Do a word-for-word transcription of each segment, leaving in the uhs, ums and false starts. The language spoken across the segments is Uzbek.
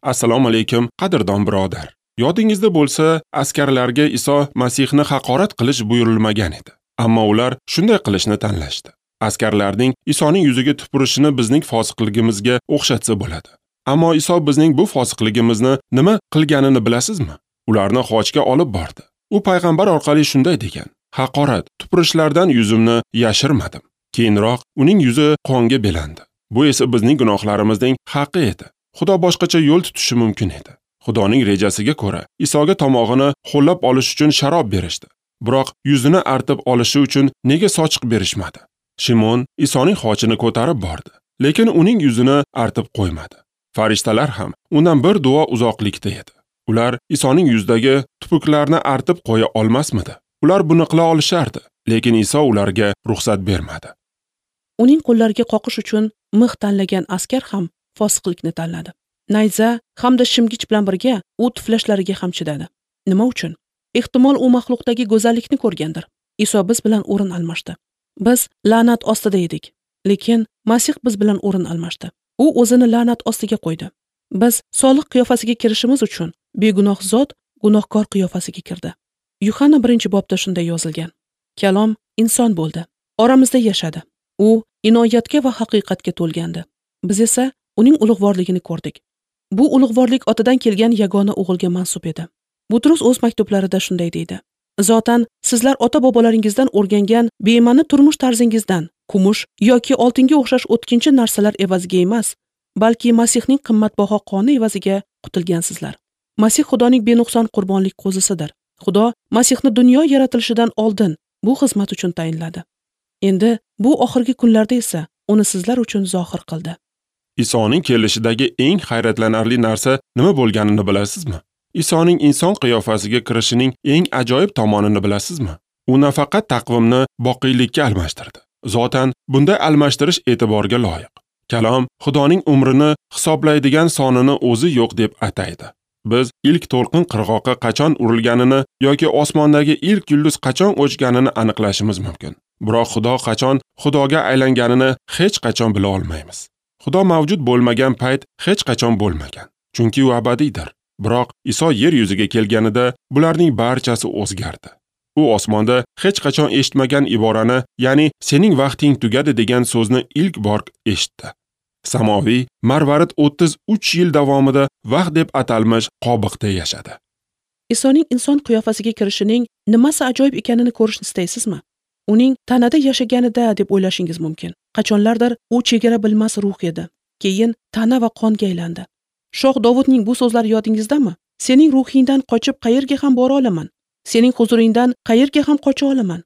Assalomu alaykum, qadrdon birodar. Yodingizda bo'lsa, askarlarga Iso Masihni haqorat qilish buyurilmagan edi. Ammo ular shunday qilishni tanlashdi. Askarlarning Isoning yuziga tupurishini bizning fosiqligimizga o'xshatsa bo'ladi. Ammo Iso bizning bu fosiqligimizni nima qilganini bilasizmi? Ularni xochga olib bordi. U payg'ambar orqali shunday degan: haqorat, tupurishlardan yuzimni yashirmadim. Keyinroq uning yuzi qonga belandi. Bu esa bizning gunohlarimizning haqi edi. Xudo boshqacha yo'l tutishi mumkin edi. Xudoning rejasiga ko'ra, Isoga tomog'ini ho'llab olish uchun sharob berishdi. Biroq yuzini artib olishi uchun nega sochiq berishmadi? Shimon Isoning xochini ko'tarib bordi, lekin uning yuzini artib qo'ymadi. Farishtalar ham undan bir duo uzoqlikda edi. Ular Isoning yuzidagi tupuklarni artib qo'ya olmasmidi? Ular buni qila olishardi, lekin Iso ularga ruxsat bermadi. Uning qo'llariga qoqish uchun mix tanlagan askar ham fosiqlikni tanladi. Nayza hamda shimgich bilan birga u tuflashlariga ham chidadi. Nima uchun? Ehtimol u maxluqdagi go'zallikni ko'rgandir. Iso biz bilan o'rin almashdi. Biz la'nat ostida edik, lekin Masih biz bilan o'rin almashdi. U o'zini la'nat ostiga qo'ydi. Biz solih qiyofasiga kirishimiz uchun begunoh zot gunohkor qiyofasiga kirdi. Yuhanna birinchi bobda shunday yozilgan: Kalom inson bo'ldi, oramizda yashadi. U inoyatga va haqiqatga to'lgandi. Biz esa uning ulug'vorligini ko'rdik. Bu ulug'vorlik otadan kelgan yagona o'g'ilga mansub edi. Butrus o'z maktublarida shunday deydi: Zotan sizlar ota-bobolaringizdan o'rgangan bema'ni turmush tarzingizdan kumush yoki oltinga o'xshash o'tkinchi narsalar evaziga emas, balki Masihning qimmatbaho qoni evaziga qutulgansizlar. Masih Xudoning benuqson qurbonlik qo'zisidir. Xudo Masihni dunyo yaratilishidan oldin bu xizmat uchun tayinladi. Endi bu oxirgi kunlarda esa uni sizlar uchun zohir qildi. Isoning kelishidagi eng hayratlanarli narsa nima bo'lganini bilasizmi? Isoning inson qiyofasiga kirishining eng ajoyib tomonini bilasizmi? U nafaqat taqvimni boqiylikka almashtirdi. Zotan bunday almashtirish e'tiborga loyiq. Kalom Xudoning umrini hisoblaydigan sonini o'zi yo'q deb ataydi. Biz ilk to'lqin qirg'oqqa qachon urilganini yoki osmondagi ilk yulduz qachon o'chganini aniqlashimiz mumkin. Biroq Xudo qachon Xudoga aylanganini hech qachon bila olmaymiz. Xudo mavjud bo'lmagan payt hech qachon bo'lmagan, chunki u abadiydir. Biroq Iso yer yuziga kelganida bularning barchasi o'zgardi. U osmonda hech qachon eshitmagan iborani, ya'ni sening vaqting tugadi degan so'zni ilk bor eshitdi. Samoviy marvarid o'ttiz uch yil davomida vaqt deb atalmish qobiqda yashadi. Isoning inson qiyofasiga kirishining nimasi ajoyib ekanini ko'rishni istaysizmi? Uning tanada yashaganida deb o'ylashingiz mumkin. Qachonlardir u chegara bilmas ruh edi. Keyin tana va qonga aylandi. Shoh Dovudning bu so'zlari yodingizdami? Sening ruhingdan qochib qayerga ham bora olaman? Sening huzuringdan qayerga ham qocha olaman?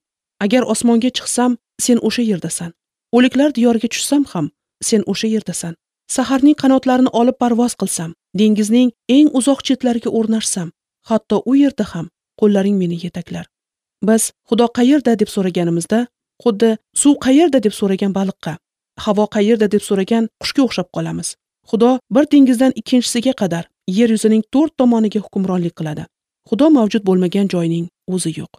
Agar osmonga chiqsam, sen o'sha yerdasan. O'liklar diyoriga tushsam ham, sen o'sha yerdasan. Saharning qanotlarini olib parvoz qilsam, dengizning eng uzoq chetlariga o'rnashsam, hatto u yerda ham qo'llaring meni yetaklar. Biz Xudo qayerda deb so'raganimizda, xuddi suv qayerda deb so'ragan baliqqa, havo qayerda deb so'ragan qushga o'xshab qolamiz. Xudo bir dengizdan ikkinchisiga qadar yer yuzining to'rt tomoniga hukmronlik qiladi. Xudo mavjud bo'lmagan joyning o'zi yo'q.